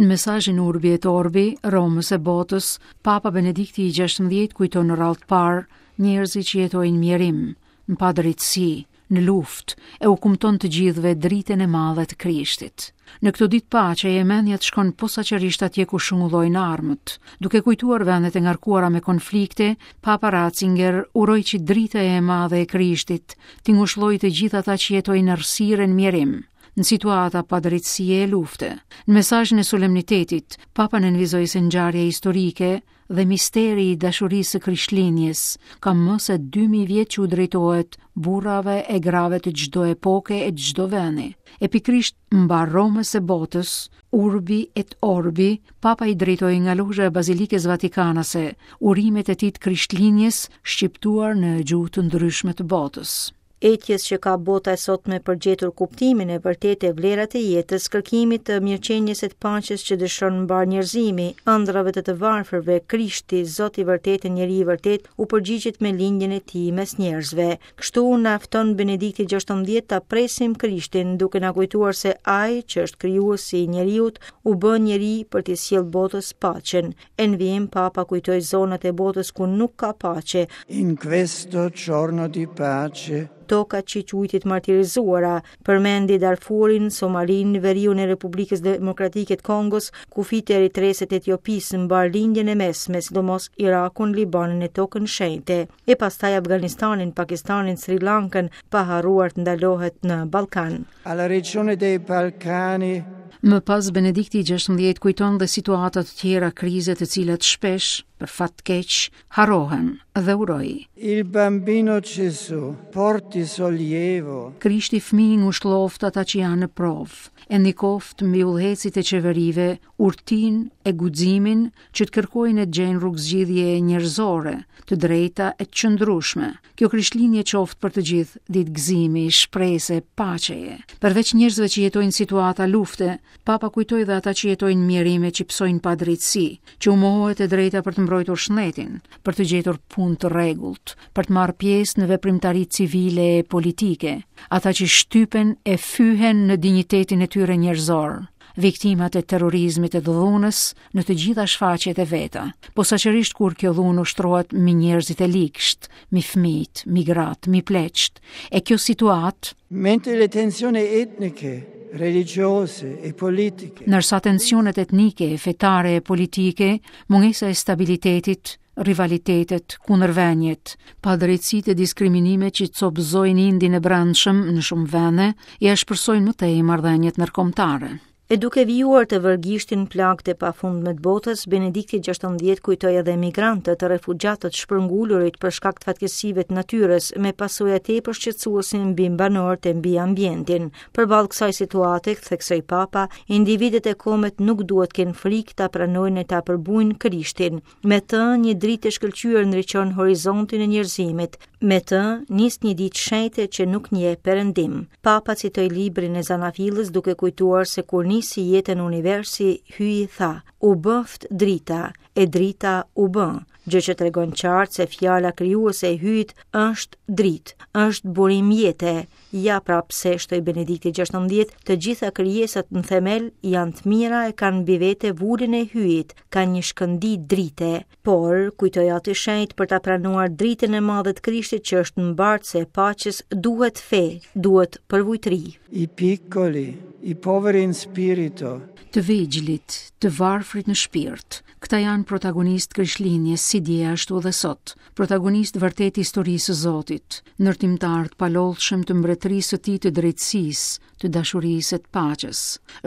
Në mesazhin Urbi et Orbi, Romës e botës, Papa Benedikti i XVI kujton në radhë të parë njerëzit që jetojnë në mjerim, në padrejtësi, në luftë, e u kumton të gjithëve dritën e madhe të Krishtit. Në këto ditë paqeje, mendja të shkon posaçërisht atje ku shungullojnë armët. Duke kujtuar vendet e ngarkuara me konflikte, Papa Ratzinger uroi që drita e madhe e Krishtit t'i ngushëllojë të gjithë ata që jetojnë në errësirë e në mjerim, në situata padrejtësie e lufte. Në mesazhin e solemnitetit, Papa nënvizoi se ngjarja historike dhe misteri i dashurisë së Krishtlindjes ka më se 2000 vjet që u drejtohet burrave e grave të çdo epoke e çdo vendi. E pikërisht mbarë Romës e botës, Urbi et Orbi, Papa i drejtoi nga lozha e Bazilikës Vatikanase urimet e tij të Krishtlindjes shqiptuar në gjuhë të ndryshme të botës. Etjes që ka bota e sotme për gjetur kuptimin e vërtetë e vlerat e jetës, kërkimit të mirëqenies e të paqes që dëshiron mbarë njerëzimi, ëndrrave të të varfërve, Krishti, Zot i vërtetë e njeri i vërtetë, u përgjigjet me lindjen e tij mes njerëzve. Kështu na fton Benedikti XVI ta presim Krishtin, duke na kujtuar se ai që është krijuesi i njeriut, u bë njeri për t'i sjellë botës paqen. E në vijim Papa kujtoi zonat e botës ku nuk ka pace. In questo giorno di pace. Tokat që i quajti të martirizuara, përmendi Darfurin, Somalinë, veriun e Republikës Demokratike të Kongos, kufijtë e Eritresë e të Etiopisë, mbarë Lindjen e Mesme, sidomos Irakun, Libanin e Tokën Shenjte, e pastaj Afganistanin, Pakistanin, Sri Lankën, pa harruar të ndalohet në Ballkan. Alla regione dei Balcani. Më pas Benedikti i XVI kujton dhe situata të tjera krize të cilat shpesh, për fat të keq, harrohen dhe uroi. Il bambino Gesù porti sollievo. Krishti fëmijë ngushëlloftë ata që janë në provë, e ndikoftë mbi udhëheqësit e qeverive urtinë e guximin që të kërkojnë e të gjejnë rrugëzgjidhje njerëzore, të drejta e të qëndrueshme. Kjo Krishtlindje qoftë për të gjithë ditë gëzimi, shprese, paqeje. Përveç njerëzve që jetojnë situata lufte, Papa kujtoi dhe ata që jetojnë mjerim e që pësojnë padrejtësi, që u mohohet e drejta për të mbrojtur shëndetin, për të gjetur punë të rregullt, për të marrë pjesë në veprimtari civile e politike, ata që shtypen e fyhen në dinjitetin e tyre njerëzor viktimat e terrorizmit e të dhunës në të gjitha shfaqjet e veta, posaçërisht kur kjo dhunë ushtrohet mbi njerëzit e ligshtë, mbi fëmijët, mbi gratë, mbi pleqtë. E kjo situatë, Mentre le tensioni etniche, religiose e politiche. Ndërsa tensionet etnike, fetare e politike, mungesa e stabilitetit, rivalitetet, kundërvëniet, padrejtësitë e diskriminimet që copëzojnë indin e brendshëm në shumë vende, i ashpërsojnë më tej marrëdhëniet ndërkombëtare. E duke vijuar të vërë gishtin plagët e pafundme të botës, Benedikti XVI kujtoi edhe emigrantët, refugjatët, shpërngulurit për shkak të fatkeqësive të natyrës, me pasoja tepër shqetësuese mbi banorët e mbi ambientin. Përballë kësaj situate, theksoi Papa, individët e kombet nuk duhet të kenë frikë ta pranojnë e ta përbujnë Krishtin. Me të, një dritë e shkëlqyer ndriçon horizontin e njerëzimit. Me të, nis një ditë shenjte që nuk njeh perëndim. Papa citoi librin e Zanafillës duke kujtuar se kur nisi jetën universi, Hyji tha, u bëftë drita, e drita u bë, gjë që tregon qartë se fjala krijuese e Hyjit është dritë, është burim jete, Ja pra pse shtoi Benedikti XVI, të gjitha krijesat në themel janë të mira e kanë mbi vete vulën e Hyjit, kanë një shkëndijë drite. Por, kujtoi Ati i Shenjtë për ta pranuar dritën e madhe të Krishtit që është mbartëse e paqes, duhet fe, duhet përvujtëri. I piccoli, i poveri in spirito. Të vegjlit, të varfrit në shpirt, këta janë protagonistë të Krishtlindjes si dje ashtu dhe sot. Protagonistë vërtet të historisë së Zotit, ndërtimtarë të palodhshëm të mbretërisë së tij të drejtësisë, të dashurisë e të paqes.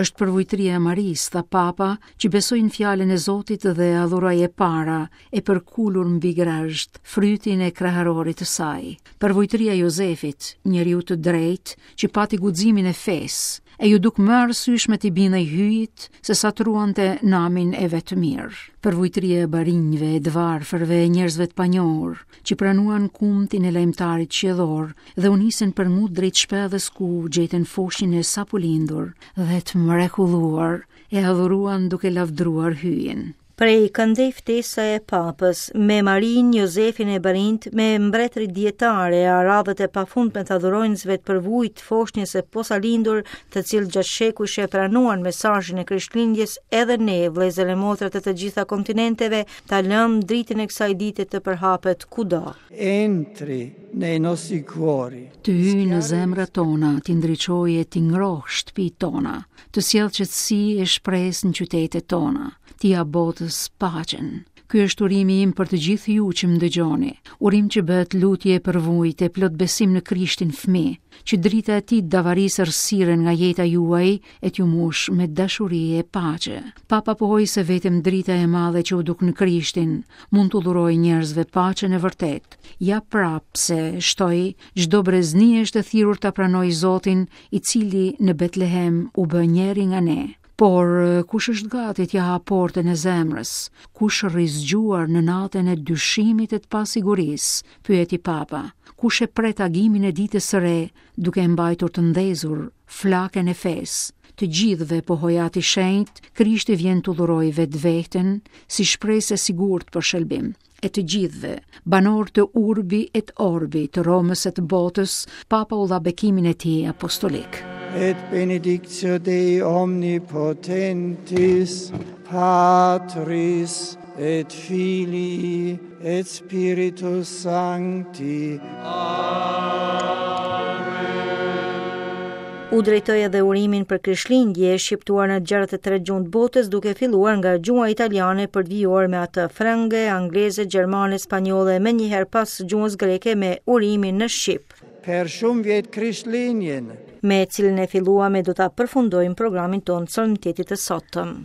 Është përvujtëria e Marisë, tha Papa, që besoi në fjalën e Zotit dhe e adhuroi e para, e përkulur mbi grazhd, frytin e kraharorit të saj. Përvujtëria e Jozefit, njeriut të drejtë, që pati guximin e fesë, e iu duk më e arsyeshme t'i bindej Hyjit se sa të ruante namin e vet të mirë. Përvujtëria e barinjve, e të varfërve, e njerëzve të panjohur, që pranuan kumtin e lajmëtarit qiellor dhe u nisën për ngut drejt shpellës ku gjetën foshnjën e sapolindur dhe të mrekulluar, e adhuruan duke lavdëruar Hyjin. Prej këndej ftesa e Papës, me Marinë, Jozefin e barinjtë, me mbretërit dijetarë e aradhët e pafundme të adhuronjësve të përvujtë të foshnjës së posalindur, të cilët gjatë shekujsh e pranuan mesazhin e Krishtlindjes, edhe ne, vëllezër e motra të të gjitha kontinenteve, ta lëmë dritën e kësaj dite të përhapet kudo. Entri nei nostri cuori. Të hyjë në zemrat tona, t'i ndriçojë e t'i ngrohë shtëpitë tona, të sjellë qetësi e shpresë në qytetet tona, t'i japë botës paqen. Ky është urimi im për të gjithë ju që më dëgjoni. Urim që bëhet lutje e përvujtë e plot besim në Krishtin fëmijë, që drita e tij të davarisë errësirën nga jeta juaj e t'ju mbushë me dashuri e paqe. Papa pohoi se vetëm drita e madhe që u duk në Krishtin mund t'u dhurojë njerëzve paqen e vërtetë. Ja pra pse, shtoi, çdo brezni është e thirrur ta pranojë Zotin, i cili në Betlehem u bë njeri nga ne. Por, kush është gati t'ia hapë portën e zemrës? Kush rri zgjuar në natën e dyshimit e të pasigurisë? Pyeti Papa. Kush e pret agimin e ditës së re, duke e mbajtur të ndezur flakën e fesë? Të gjithëve, pohoi Ati i Shenjtë, Krishti vjen t'u dhurojë vetveten si shpresë e sigurt për shëlbim. E të gjithëve, banorë të Urbi et Orbi, të Romës e të botës, Papa u dha bekimin e tij apostolik. Et benedictio Dei omnipotentis, Patris et Filii et Spiritus Sancti. Amen. U drejtoi edhe urimin për Krishtlindje, shqiptuar në 63 gjuhë të botës, duke filluar nga gjuha italiane për të vijuar me atë frënge, angleze, gjermane, spanjolle, menjëherë pas gjuhës greke me urimin në shqip. Per shumë vjet Krishtlindjen. Me cilin e filluam e do ta përfundojmë programin tonë të solemnitetit të sotëm.